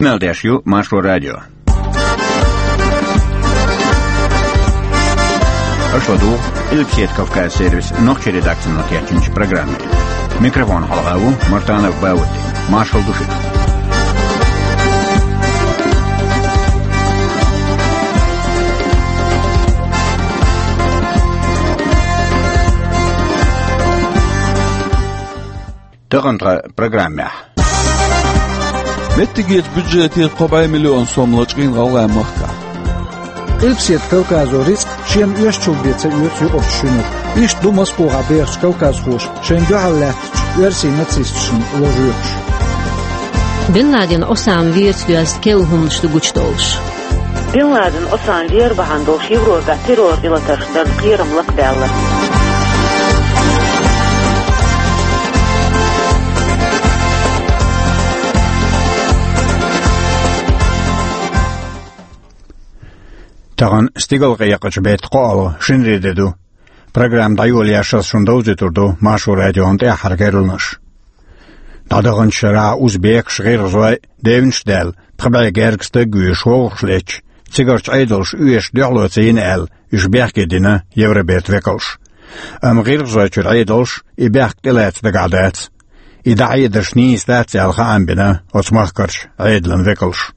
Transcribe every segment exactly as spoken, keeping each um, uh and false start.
Мел деш ю Маршо радио. Аша ду Эльпсет Кавказ сервис нохчи редакцино кечинчи программе. Микрофон халгаву Мартанов Баудди. Маршал души. Тахантра программе. Меттигерчу бюджетера кхо бӀе миллион сом лачкъийна ГӀалгӀай махкахь. Къилбаседа Кавказо рицкъ шена оьшучул бен ца оьцу юкъарчу шинарг. Иштта ду Москвахь бехачу кавказхоша шайна дуьхьал лаьттачу оьрсийн нацисташна ложуьйтуш. Бен Ладен Осама верца доьзна керла хӀуманаш ду гучудолуш. Бен Ладен Осама вер бахьана долуш Европехь террор гӀиллакхаш дарна кхерам лакхадаьлла. Тахана стигалкъекъачу беттан кхоалгӀа, шинаре де ду. Программа дӀайолаеш ас шуна довзуьйтур ду Маршо радион тӀаьххьара керланаш. ДӀадаханчу шарахь узбекаш, гӀиргӀазой девнаш а даьлла, пхи бӀе гергга стаг а вуьйш, вовшахлетта, цигарчу Ӏедалша оьшуш дуьхьало ца йина аьлла, уьш бехке дина Евробертан векалша. Амма гӀиргӀазойчуьра Ӏедалша и бехк тӀелаца дагахь дац. И дӀахьедарш нийса дац аьлла хаам бина оцу махкарчу Ӏедалан векалша.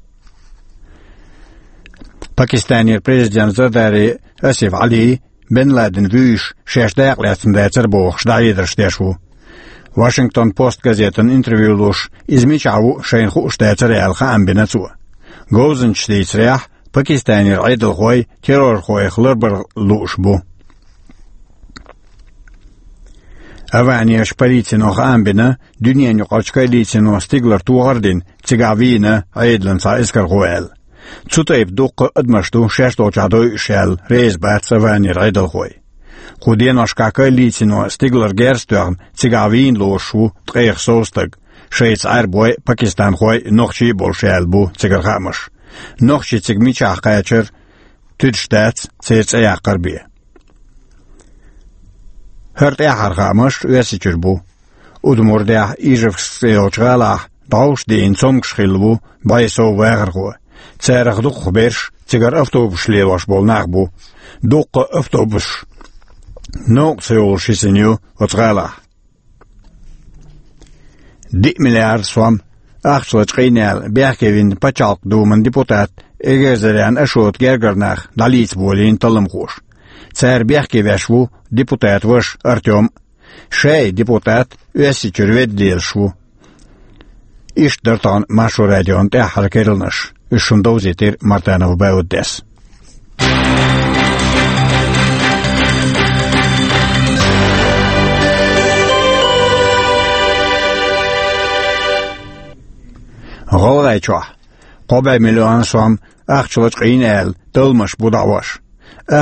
Пакистанера президент Зардари Асиф Ӏали Бен Ладен вуьйш шаьш дакъа лаьцна дацара бохуш, дӀахьедарш деш ву. Вашингтон Пост газетана интервью луш, иза мичахь ву шайна хууш дацара аьлла хаам бина цо. Говзанчаша дийцарехь, Пакистанера Ӏедалхой террорхойх ларбар лууш бу. Аванеша полицино хаам бина, дуьненаюкъарчу коалицино стигалара тохар а дина, цигахь вийна Ӏедалан цхьа эскархо аьлла. Цу тайпа дуккха а адамаш ду шаьш долчохь дойуш аьлла, реза бац Аванера Ӏедалхой. Кху деношкахь коалицино стигалара герз а тоьхна, цигахь вийна лоруш ву ткъех сов стаг, шайца Ӏаьрбой, пакистанхой, нохчий а болуш аьлла бу цигара хаамаш. Нохчий цига мичахь кхачара туьдуш дац, церан цӀе яккхар бен. ХӀара тӀаьххьара хаамаш Оьрсийчуьра бу. Удмуртехь, Ижевск цӀе йолчу гӀалахь дӀовш а дийна цомгуш хилла ву бӀе сов вахархо. Царах дукхахберш цигара автобусаш лелош болу нах бу. Дуккха а автобусаш новкъа ца йолуш йисина ю оцу гӀалахь. Диъ миллиард сом ахча лачкъийна аьлла, бехке вина Пачхьалкхан Думан депутат Эгерзарян Ашота гергара нах дӀалийца болийна талламхоша. Цара бехке веш ву депутат ваша Артём. Шай депутат Оьрсийчуьра ведда лелаш ву. Иштта дара тахана Маршо радион тӀаьххьара керланаш. Уьш шуна довзийтира Мартанов Бауддес. ГӀалгӀайчохь кхо бӀе миллион сом ахча лачкъийна аьлла, талламаш бу дӀахьош.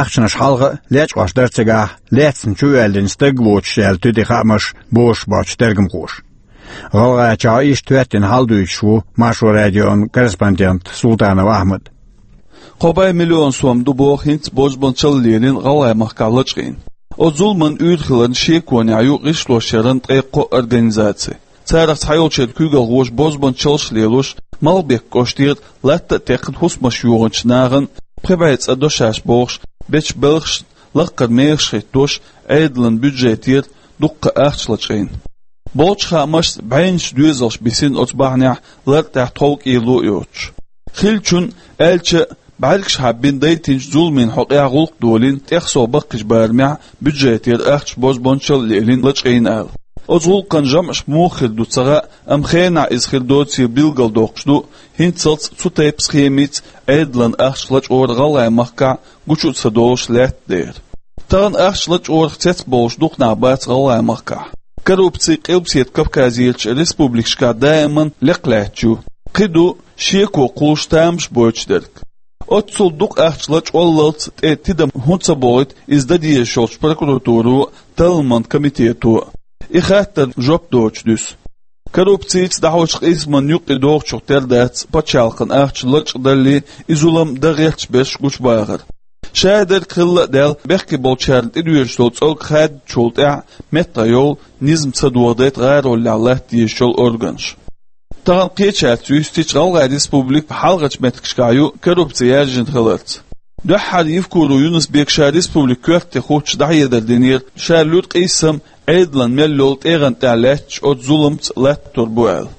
Ахчанаш хьалха а лечкъош дара цигахь, лаьцна чу а воьллина стаг а воцуш аьлла туьди хаамаш бозуш боцчу тергамхоша. ГӀалгӀайчохь иштта хӀоьттина хьал дуьйцуш ву Маршо радион корреспондент Султанов Ахьмад. Кхо бӀе миллион сом ду боху хӀинца бозбуунчалла лелийна ГӀалгӀай махкахь лачкъийна. Оцу зуламан уьйр хиларна шеконехь ю гӀишлош яран ткъе кхо организаци. Царах цхьайолчеран куьйгалхоша бозбуунчаллаш лелош, Малхбек кӀоштера латта а текхна хӀусамаш йохийначу нахана пхи бӀе цӀа до шаьш бохуш бечу белхашна лаккхара мехаш хӀиттош, Ӏедалан бюджетера дуккха ахча лачкъийна. Болчу хаамашца, бӀеннаш доьзалш бисина оцу бахьанехь, лар тӀехь тхов кӀело а йоцуш. Хиллачун аьлча, бӀаьргаш хьаббина дайтинчу зуламийн хьокъехь гӀуллакх долийна тӀех сов баккхийчу барамехь бюджетера ахча бозбуунчалла лелийна лачкъийна аьлла. Оцу гӀуллакхан жамӀаш муха хир ду ца хаьа, амма хенахь иза хир доцийла билгалдоккхуш ду, хӀинццалц цу тайпа схемица Ӏедалан ахча лачкъор ГӀалгӀай махкахь гучу а ца долуш лаьтта дера. Тахана ахча лачкъорах цецбовлуш дукха нах бац ГӀалгӀай махкахь. Коррупци Къилбаседа Кавказерчу республикашкахь даиман лекха лаьтташ ю. Кхин ду шеко кхуллуш тамаш бойтуш дерг. Оццул дукха ахча лачкъоллалц тӀе тидам хӀунда ца бохуьйту иза дан дезаш йолчу прокуратуро а, талламан комитето а? И хаттарна жоп доцуш дуьсу. Коррупцица дӀахьочу къийсаман юккъе догӀучух тера дац пачхьалкхан ахча лачкъадаллий, и зулам дан гӀерташ берш гучубахар. Шадерг хилла а даьлла, бехке болчарна тӀедоьжуш долу цӀог хаьддачул тӀаьхьа меттахъйолу низам ца дохадайта гӀароллехь латта дезаш йолу органаш. Тахана кхечаьрца юьстича ГӀалгӀай республика хьалхарчу меттигашкахь ю коррупци яьржина хиларца. Дуьххьара Евкуров Юнус-Бека ша республика коьрте хуттуш дӀахьедар динера, ша луьра къийсам Ӏедалан мел йолу тӀегӀан тӀехь лаьтташ оцу зуламца латтор бу аьлла.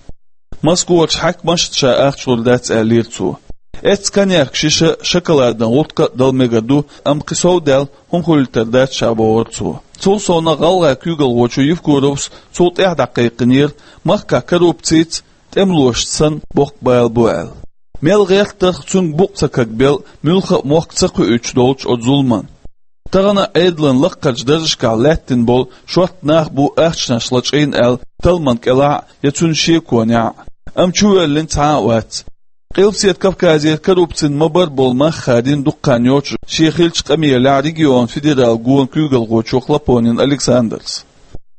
Москварчу хьаькамашна ша ахча лур дац аьллера цо. Эццу коньяк шиша, шоколадан гӀутка а дала мегар ду, амма кхин сов даьлла хӀума хуьлуьйтур дац ша бохура цо. Цул совнаха гӀалгӀай куьйгалхочо Евкуровс цул тӀаьхьа дӀакхайкхинера, махкахь коррупцица тӀемалошца санна боккха бала бу аьлла. Мел гӀертарх цуьнга букъ ца кагбелла, муьлхха а мохк ца кхуьуьйтуш долчу оцу зуламан. Тахана Ӏедалан лаккхарчу даржашкахь лаьттина болу шорта нах бу ахчанаш лачкъийна аьлла талламан кӀелахь а я цуьнан шеконехь а, амма чувоьллина цхьа а вац. Къилбаседа Кавказера коррупцина ма-барра болу мах хадийна дукха хан йоццуш шен хиллачу къамелехь регионан федералан гонан куьйгалхочо Хлопонин Александрс.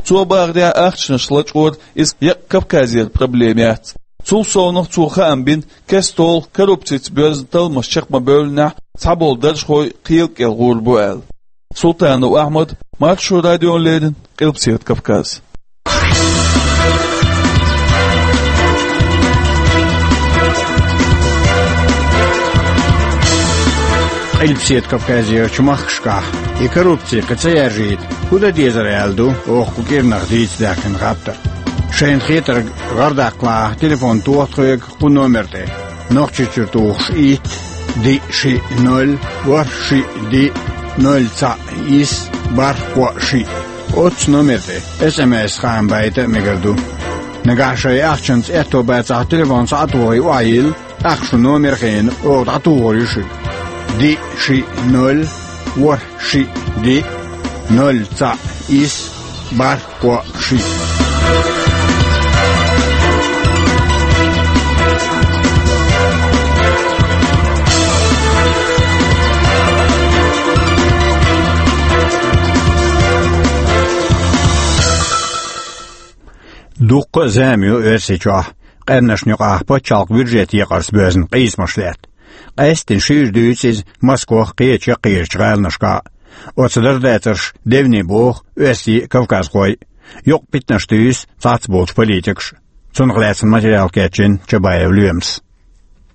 Цо бахарехь, ахчанаш лачкъор иза еккъа Кавказера проблема яц. Цул совнаха цо хаам бина, кестта-кестта коррупцица боьзна талламаш чекх ма-бевллинехь, цхьаболу даржхой кхел кӀел гӀур бу аьлла. Султанов Ахьмад, Маршо радиона леррина, Къилбаседа Кавказ. Къилбаседа Кавказерчу махкашкахь и коррупци кхин ца яржийта хӀун дан дезара аьлла ду оха кху кӀирнах дийца даьккхина хаттар. Шайна хетарг гӀардаккхалахь, телефон тоха тхоьга кху номер тӀе: Нохчийчуьра тухуш итт, диъ шиъ ноль, ворхӀ шиъ диъ, ноль цхьаъ исс, бархӀ кхоъ шиъ. Оццу номер тӀе эс эм эс хаам байта а мегар ду. Нагахь шайн ахчанца аьтто бацахь, телефон схьа а тухий охьайилла, тӀаккха шун номер хиъна оха дӀатухур ю шуьга. Диъ шиъ ноль, ворхӀ шиъ диъ, ноль цхьаъ исс, бархӀ кхоъ шиъ. Дуккха а зама ю Оьрсийчохь къаьрнашна юкъахь пачхьалкхан бюджет екъарца боьзна къийсамаш лаьтта. Къаьсттина шуьйра дуьйцу иза Москох а, кхечу яккхийчу гӀаланашкахь а. Оцу дарба дацарш девне боху оьрсий а, кавказхой а. Юкъа питанаш туьйсу цхьацца болчу политикаша. Цунах лаьцна материал кечйина Чабаев Лоьмас.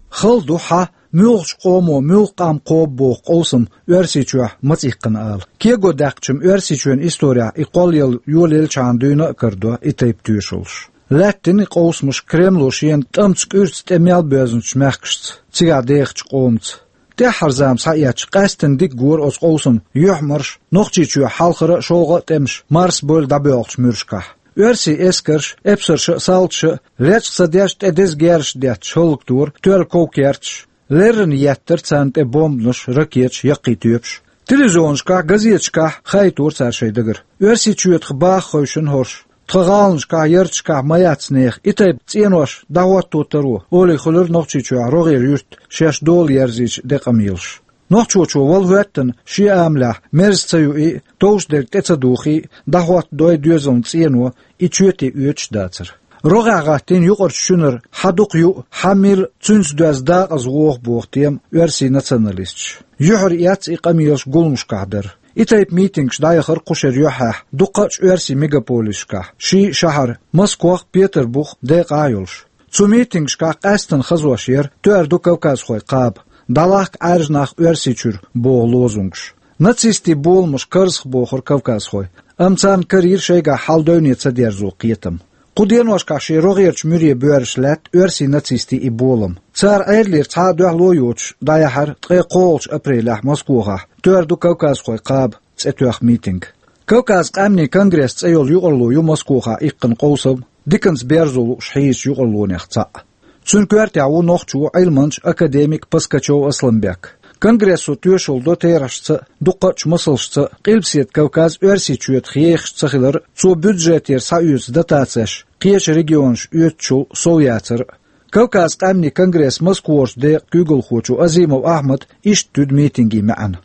Хала ду хьан, муьлхачу къомо муьлхха къам кхобу боху къовсам Оьрсийчохь маца иккхина ала. Кего даьккхича-м Оьрсийчоьнан исторехь и кхоллаялла йолаеллачхьана дуьйна а карадо и тайпа тоьшаллаш. Лаьттина и къовсамаш Кремло шена тӀамца кӀуьрца тӀе мел боьзначу мехкашца, цигахь дехачу къомаца. ТӀаьххьара зама схьаэцча, къаьсттина дика гора оцу къовсаман юьхьмарш Нохчийчоь хьалхара а, шолгӀа а тӀемаш марсабевлла дӀабоьлхучу муьршкахь. Оьрсийн эскарша, эпсарша а, салташа а, лечкъа ца деш, тӀе деза герзаш детташ хӀаллакдора тоьлла ков-керташ, леррина еттара царна тӀе бомбанаш, ракеташ, яккхий тоьпаш. Телевизионашкахь, газеташкахь хаийтора цара шайн дагара. Оьрсийчоьтах баха хевшина хӀорш. Тхан гӀаланашкахь, ярташкахь ма яц нехан и тайпа цӀенош дӀахӀотто таро, олий хуьлура Нохчийчохь рогӀера юьртан шаьш дола ерзийча де къамелаш. Нохчочо вала хӀоьттина шен амалехь мерза ца юий а, товш дерг тӀе ца духий а, дӀахӀоттадой доьзална цӀено и чоьте оьцуш дацара. РогӀехь гӀаттийна юкъарчу шуьнара хьан дукха юу, хьан мила, цуьнца доьзна дакъаза воху боху тема оьрсийн националисташа. Юьхьар эцна и къамелаш гуламашкахь дар. И тайпа митингаш дӀаяхара кху шеран юьххьехь дуккхачу оьрсийн мегаполисашкахь, ший шахьара, Москох а, Петарбух а декъахь а йолуш. Цу митингашкахь къаьсттина хазош яра тоьар ду кавказхой кхаба, дӀалахка Ӏаьржа нах Оьрсийчуьра боху лозунгаш. Нацистийн боламаш карзахбохура кавказхой, амма царна карийра шайгахь хьал-девне ца дерзо кхетам. Кху деношкахь шен рогӀерачу муьре боьрзуш лаьтта оьрсийн нацистийн и болам. Цара Ӏедалера цхьа а дуьхьало а йоцуш дӀаяьхьира ткъе кхоалгӀачу апрелехь Москохахь «Тоьар ду кавказхой кхаба» цӀе тоьхна митинг. Кавказан къаьмнийн конгресс цӀе йолу юкъарло ю Москохахь иккхина къовсам диканца берзо лууш хьийзачу юкъарлонех цхьаъ. Цуьнан коьртехь ву нохчо, Ӏилманча, академик Паскачев Асламбек. Конгрессо тоьшалла до терахьашца а, дуккхачу масалшца а Къилбаседа Кавказ Оьрсийчоьтах ехаш ца хилар а, цо бюджетера схьаоьцу дотацеш кхечу регионаша оьцучул сов яцар а. Кавказан къаьмнийн конгрессан Москварчу декъан куьйгалхочо Азимов Ахьмада иштта туьду митинган маьӀна.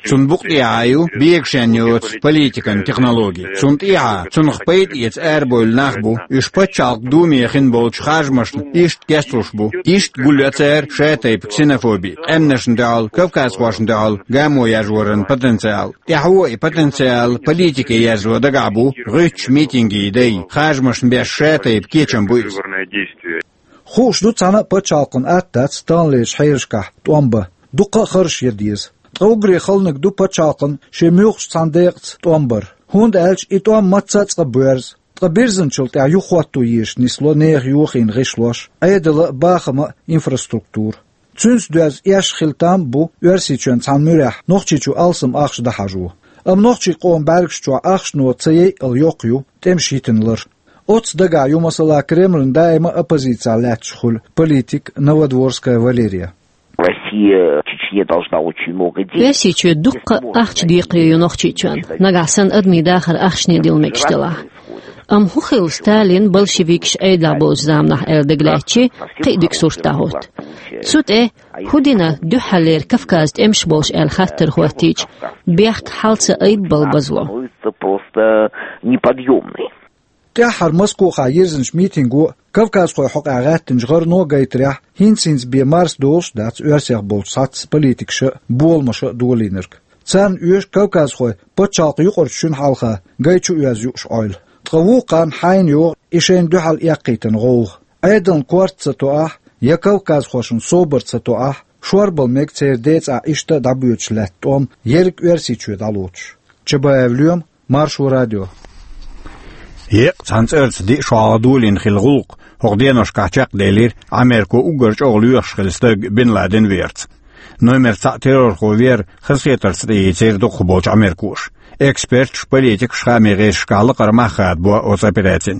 Цунна букъ тӀехьа ю бегашен йоцу политикан технологи. Цунна тӀехьа цунах пайда эца арабевлла нах бу. Уьш пачхьалкхан думе хин болчу харжамашна иштта кечлуш бу. Иштта гулйо цара шатайпа ксенофоби, къаьмнашна дуьхьал, кавказхошна дуьхьал гамо яржоран потенциал. ТӀаьхьо и потенциал политике яржо дагахь бу гӀуьттучу митингий дай, харжамашна беш шатайпа кечам бу иза. Хууш ду, цхьана а пачхьалкхан атта дац таханлерчу хьелашкахь тӀом бан. Дуккха а харжаш ян деза. Ткъа уггаре хала ниг ду пачхьалкхан шен муьлххачу цхьана декъаца тӀом бар. ХӀунда аьлча и тӀом мацца а цкъа боьрзу. Ткъа бирзинчул тӀаьхьа юхахӀотто езаш нисло нехан йохийна гӀишлош, Ӏедал а, бахам а, инфраструктура. Цуьнца доьзна эшна хила там а бу Оьрсийчоьнан цхьана муьрехь Нохчийчу алсам ахча дӀахьажо. Амма нохчийн къоман бӀаьргаш чохь ахчано ца яйъал йоккха ю тӀемаш йитина лар. Оццу дагахь ю, масала, Кремлан даима оппозицехь лаьтташ хуьлу политик Новодворская Валерия. Россия Чечне должна очень много денег. Оьрсийчоь дуккха ахча декхаре ю Нохчийчоьнна, нагахь санна адамийн дахар ахчане дилла мегаш делахь. Амма хӀун хилла Сталин, большевикаш Ӏедалехь болчу заманахь аьлла дага лаьттачи, кхин а дика сурт дӀахӀутту. Цу тӀе хӀун дина дуьххьарлера Кавказан тӀемаш болуш аьлла хаттар хӀоттийча, бехк хьал ца айббалла базло. Становится просто неподъёмной. ТӀаьххьара Москохахь йирзинчу митинго а, кавказхойн хьокъехь гӀаьттинчу гӀарано а гайтарехь, хӀинца-хӀинца бен марсадолуш а дац Оьрсийчохь болчу цхьацца политикаша а, боламаша а долийнарг. Царна оьшу кавказхой пачхьалкхан юкъарчу шуьнан хьалха гай чу оьзна юуш Ӏойла. Ткъа вукхарна хьайна йогӀу и шайна дуьхьал эккхийтина гӀовгӀа. Ӏедална корта ца тоахь, я кавказхошна собар ца тоахь, шорбала мега церан ден цӀахь иштта а дӀабоьдуш лаьтта тӀом ерриг Оьрсийчоь дӀалоцуш. Чабаев Лоьма, Маршо радио. Еккъа цхьана цӀарца диъ шо хьалха долийна хилла гӀуллакх хӀокху деношкахь чекхделира Америко уггар чӀогӀа лоьхуш хилла стаг Бин Ладен верца. Номер цхьаъ террорхо вер хазахетарца тӀеийцира дукхахболчу америкоша. Эксперташ, политикаш хаамийн гӀирсашкахь лакхара мах хадабо оцу операцин.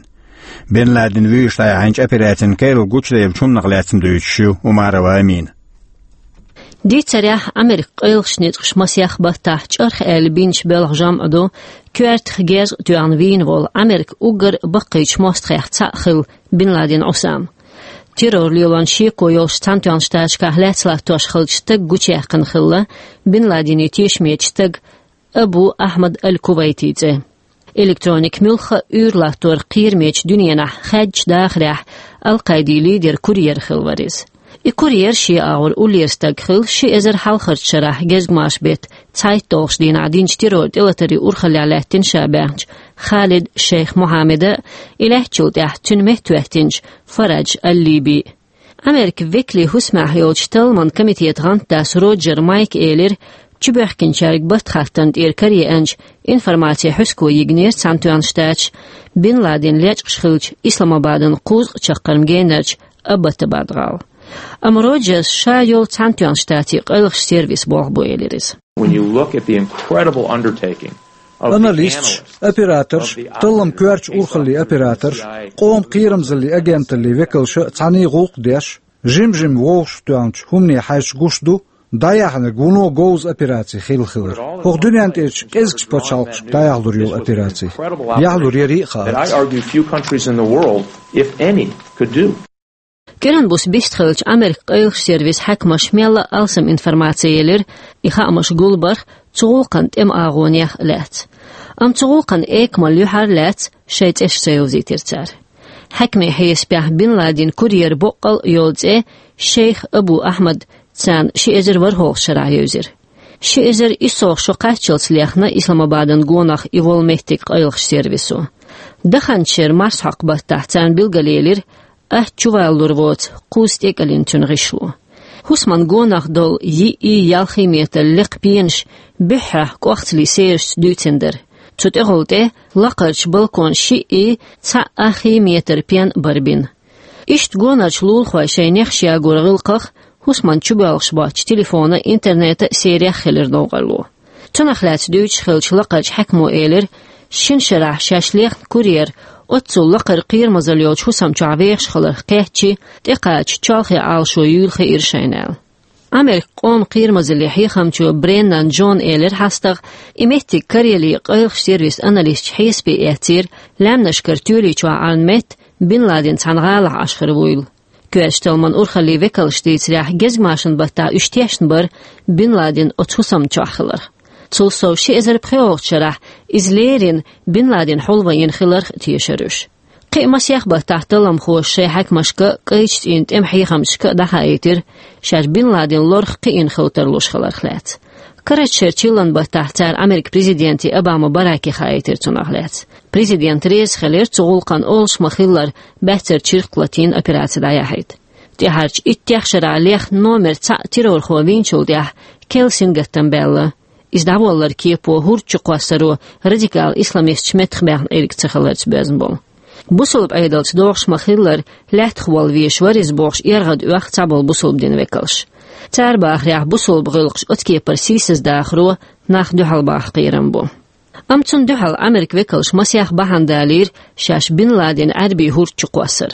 Бин Ладен вуьйш дӀаяьхьначу операцин керла гучудаьллачу хӀуманах лаьцна дуьйцуш ю Умарова Амина. Дийцарехь, Американ къайлахчу ницкъаша масех баттахь чӀарх аьлла бинчу белхан жамӀ ду, коьртах герз а тоьхна вийна волу Американ уггар баккхийчу мостагӀех цхьаъ хилла Бин Ладен Ӏусам. Террор лелорна шеко йолуш Цхьаьнатоьхначу Штаташкахь лаьцна латтош хиллачу стаг гучуяьккхина хилла Бин Ладенан тешаме стаг Абу Ахьмад аль-Кувайти цӀе. Электроника муьлхха а уьйр латтор кхерамечу дуьненахь хаьддачу дахарехь Ал-Къаидин лидеран курьер хилла вара иза. И курьер шен агӀор уллера стаг хилла ши эзар хьалхарчу шарахь гезгмашан беттан цхьайтталгӀачу дийнахь динчу террор тӀелатарийн урхаллехь лаьттина ша баьхначу Халид Шейх Мухьаммада а, и лаьттачул тӀаьхьа цуьнан меттахӀоьттинчу Фарадж аль-Либи а. Американ векалийн хӀусамехь йолчу талламан комитетан гӀантдас Роджер Майка элира, чубоьхкинчаьрга баттахаттана тӀера караеанчу информацин хьуьско йигнера Цхьаьнатоьхна Штаташ Бин Ладен лечкъаш хиллачу Исламабадан кхузткъа чаккхарма генарчу Аббатабад гӀала. Амма Роджерс ша йолу Цхьаьнатоьхна Штатийн къайлахчу сервисан болх бу, элира иза. When you look at the incredible undertaking of the Аналисташ, analysts, операторш, of the таллам коьртачу урхаллийн операторш, къоман кхерамзаллин агенталлин векалша а цхьаьний гӀуллакх деш, жим-жима вовшахтоьхначу хӀумане хьаьжча гуш ду, дӀаяьхьнарг вуно говза операци хилла хилар. ХӀокху дуьнен тӀерачу кӀезигчу пачхьалкхашка дӀаяхьалур йолу операци. Яхьалур ярий а хаалц. That I argue few countries in the world, if any, could do. КӀиран буса бистхиллачу Американ къайлахчу сервисан хьаькамаша мелла а алсам информаци елира, и хаамаш гулбарх цу гӀуллакхан тӀеман агӀонех а лаьцна. Амма цу гӀуллакхан экамалла юьхьар а лаьцна шайн цӀераш ца йовзийтира цара. Хьаькамийн хьесапехь Бин Ладенан курьеран боккъал а йолу цӀе Шейх Абу Ахьмад царна ши эзар ворхӀалгӀачу шарахь евзира. Ши эзар иссалгӀа шо кхаччалц лехна Исламабадан гонах и волу меттиг къайлахчу сервисо. Даханчу шеран марсхьокху баттахь царна билгалъелира атта чувалалур воцу кхузза тӀекӀелина цуьнан гӀишло. ХӀусаман гонах долу йиъ, ялхий метр лекха пенаш буьххьехь кӀохцалийн серашца дуьйцина дара. Цу тӀехула тӀе лакхарчу балконан шиъ, цхьаъ аххий метр пен бара бина. Иштта гонарчу лулахойн шайн нехаш ягоран гӀиллакхах хӀусаман чубоьлхуш боцчу телефонан, интернетан а серех хилира новкъарло. Цунах лаьцна дуьйцуш хиллачу лакхарчу хьаькамо элира, шина шарахь шаьш лехна курьер оццул лакхара кхерамазалла йолчу хӀусам чохь вехаш хиларх кхетча, тӀекхача чолхе Ӏалашо юйла хиира шайна аьлла. Американ къоман кхерамазаллин хьехамчо Бреннан Джона элира хьастагӀа, и меттиг караелла къайлахчу сервисан аналисташа хьесапе эцнера, лаьмнашкара тоьли чохь Ӏарна метта Бин Ладен цхьана гӀалахь Ӏаш хир вуйла. Коьртачу талламан урхаллин векалша дийцарехь, гезгмашин баттахь уьш тешна бара Бин Ладен оцу хӀусамна чохь хиларх. Цул сов, ши эзар пхоьалгӀачу шарахь иза леррина Бин Ладен хьулван йина хиларх а тешара уьш. Кхин а масех баттахь талламхоша шайн хьаькамашка а, кӀайчу цӀийнан тӀеман хьехамчашка а дӀахаийтира, шаьш Бин Ладен лорах кхиъна хила тарлуш хиларх лаьцна. Карарчу шеран чиллан баттахь цара Америкин президенте Обама Бараке хаийтира цунах лаьцна. Президент реза хилира цу гӀуллакхна, олуш ма-хиллара, баьццара чиркх латийна операци дӀаяхьийта. ТӀаьхьарчу иттех шарахь лехна номер цхьаъ террорхо вийначул тӀаьхьа керла сингаттам баьлла. Иза дӀаволлар кепо хӀорда чу кхоссаро радикал исламисташ меттахбаьхна Ӏирг ца хиларца боьзна болу. Бусулба Ӏедалца догӀуш ма-хиллара, лаьттах волла везаш вара иза бохуш, эргӀад оьху цхьаболу бусулба динан векалш. Цара бахарехь, бусулба гӀиллакхаш оцу кепара сийсаздахаро нах дуьхьал бахьа кхерам бу. Амма цунна дуьхьал Америкин векалша масех бахьана далийра шаьш Бин Ладен Ӏаьрбийн хӀорда чу кхоссар.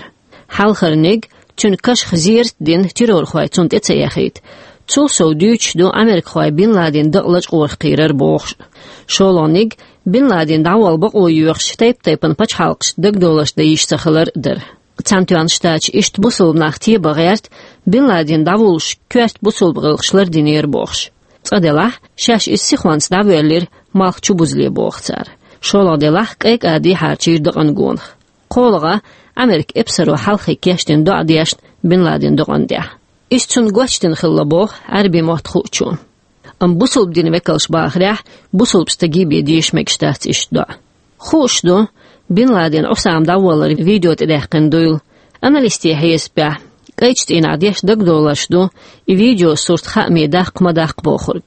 Хьалхарниг, цуьнан кашах зерат дина террорхой цунна тӀе ца эхийта. Цул сов, дуьйцуш ду америкахой Бин Ладен дакъа лачкъорах кхийрар бохуш. ШолгӀаниг, Бин Ладен дӀаволла бакъо йоьхуш, тайп-тайпана пачхьалкхашна дагадовларш дан йиш ца хилар дара. Цхьаьнатоьхначу Штаташа иштта бусулба нах тебан гӀерта, Бин Ладен дӀавуллуш коьрта бусулба гӀиллакхаш лардинера бохуш. Цкъа делахь, шаьш иза сихонца дӀавоьллира, малх чу бузале боху цара. ШолгӀа делахь, кӀайкъа дехьарчийра дакъан гонах. КхоалгӀа, Америка эпсаро хьалхе кечдина доӀа дешна Бин Ладен дакъана тӀехь. Иза цунна гочдина хилла боху Ӏаьрбийн мотт хуучо. Амма бусулба динан векалша бахарехь, бусулба стаге бен деша мегаш дац иштта доӀа. Хууш ду Бин Ладен Ӏусама дӀаволлар видео тӀедаьккхина дуйла. Аналистийн хьесапехь, кӀайчу цӀийнахь деш дагадовларш ду и видео сурт хааме даккха ма даккха бохург.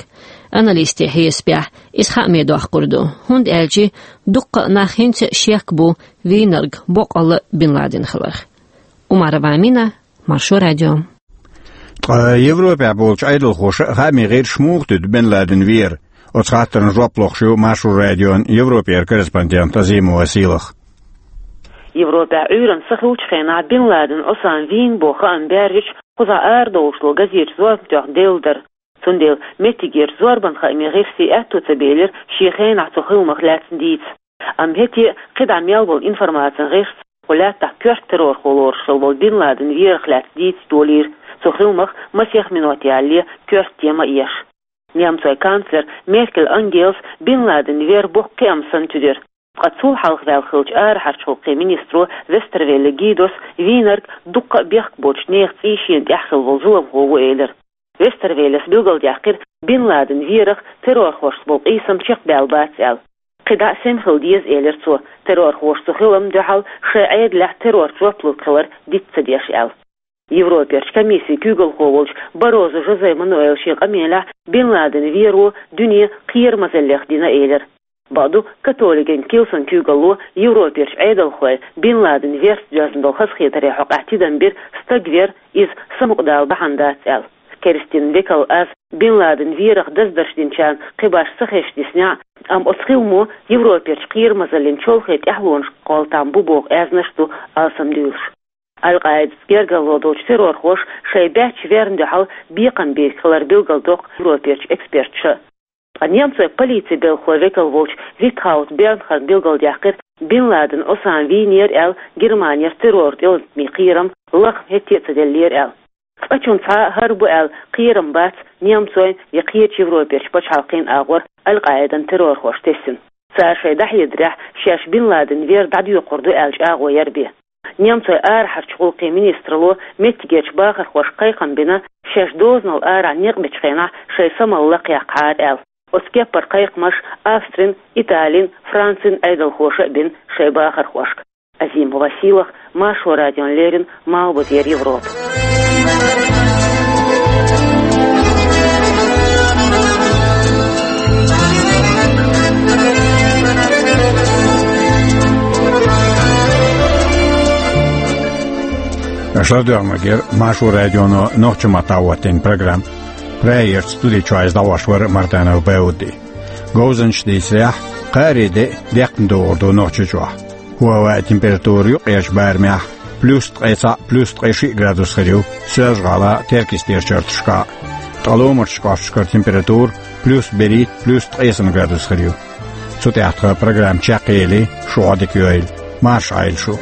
Аналистийн хьесапехь, иза хааме доккхур ду, хӀунда аьлча дуккха а нах хӀинца а шек бу вийнарг боккъалла а Бин Ладен хиларх. Умарова Амина, Маршо радио. Ткъа Европехь болчу Ӏедалхоша а хааме гӀирсаш муха дуьду Бин Ладен вер? Оцу хаттарна жоп лохуш ю Маршо радион Европера корреспондент Азимова Сийлаха. Европехь Ӏуьйранна са хуьлучу хенахь Бин Ладен Ӏусама вийна боху хаам баьржича, кхузахь арадовлуш долу газеташ зорбан тоьхна делла дара. Цундела меттигерчу зорбан хаамийн гӀирсийн аьтто ца белира шен хенахь цу хиламах лаьцна дийца. Амма хӀетте а кхидӀа мел болу информацин гӀирсаца кху лаьттахь коьрта террорхо лоруш хилла волу Бин Ладен верах лаьцна дийца долийра, цу хиламах масех минот ялале коьрта тема а еш. Немцойн канцлер Меркель Ангелас Бин Ладен вер боккха кхиам санна чудира. Ткъа цул хьалха ваьлла хиллачу арахьарчу гӀуллакхийн министро Вестервелле Гидос вийнарг дуккха а бехк боцучу нехан цӀий шена тӀехь хилла волу зуламхо ву элира. Вестервеллес билгалдаьккхира Бин Ладен верах террорхошца болу къийсам чекхбаьлла бац аьлла. КхидӀа а сема хила деза, элира цо, террорхоша цу хиламна дуьхьал шайн Ӏедалехь террорца жоп лург хилар диц ца деш аьлла. Европерчу комиссин куьйгалхо волчу Баррозу Жозе Мануэла шен къамелехь Бин Ладен веро дуьне кхерамазаллех дина элира. Бакъду, католикийн килсан куьйгалло Европерчу Ӏедалхой Бин Ладен верца доьзна долу хазахетаре хьокъехь тидам бира, стаг вер иза самукъадала бахьана дац аьлла. Керстин векал аз Бин Ладен верах даздарш динчарна кхин башха ца хезаш диснехь а, амма оцу хиламо Европерчу кхерамазаллин чолхе тӀаьхьалонаш кхолла там бу боху аьзнаш ду алсамдуьйлуш. Аль-Къаидас гергарло долчу террорхоша шайн баьчча верна дуьхьал бекхам бийриг хилар билгалдоккху Европерчу эксперташа. Ткъа немцойн полицин белхалойн векал волчу Витхаут Бернхарна билгалдаьккхира Бин Ладен Ӏусама вийнера аьлла Германера терроран тӀеӀоттамийн кхерам лахам хӀетте а ца деллера аьлла. Цкъачунна цхьа а хӀара бу аьлла кхерам бац немцойн я кхечу Европерчу пачхьалкхийн агӀор Аль-Къаидан террорхоша тесна. Цара шайн дӀахьедарехь, шаьш Бин Ладен вер дӀадоькхур ду аьлла чӀагӀо яра бен. Немцойн арахьарчу гӀуллакхийн министралло меттигерчу бахархошка кхайкхам бина, шаьш дозанал арахь некъ бечу хенахь шайн самал лакхъяккхахьара аьлла. Оцу кеппара кхайкхамаш Австрин, Италин, Францин Ӏедалхоша а бина шайн бахархошка. Азимова Сийлаха, Маршо радиона леррина, Малхбузера Европа. Аша доьгӀмагера Маршо радионо нохчийн маттахь хӀоттийна программа. Прайерчу студи чохь иза дӀахьош вара Мартанов Бауди. Говзанчаш дийцарехь, кхаари де декхна догӀур ду Нохчийчохь. ХӀоа а температура юккъерчу барамехь плюс ткъе цхьаъ, плюс ткъе шиъ градус хир ю Соьлжа-ГӀалахь, Теркйистера чарташкахь. Ткъа ломарчу кӀошташкара температура плюс берхӀитта, плюс ткъе сан градус хир ю. Цу тӀехь тхан программа чекхъели, шу Ӏодика йойла. Марша Ӏойла шу.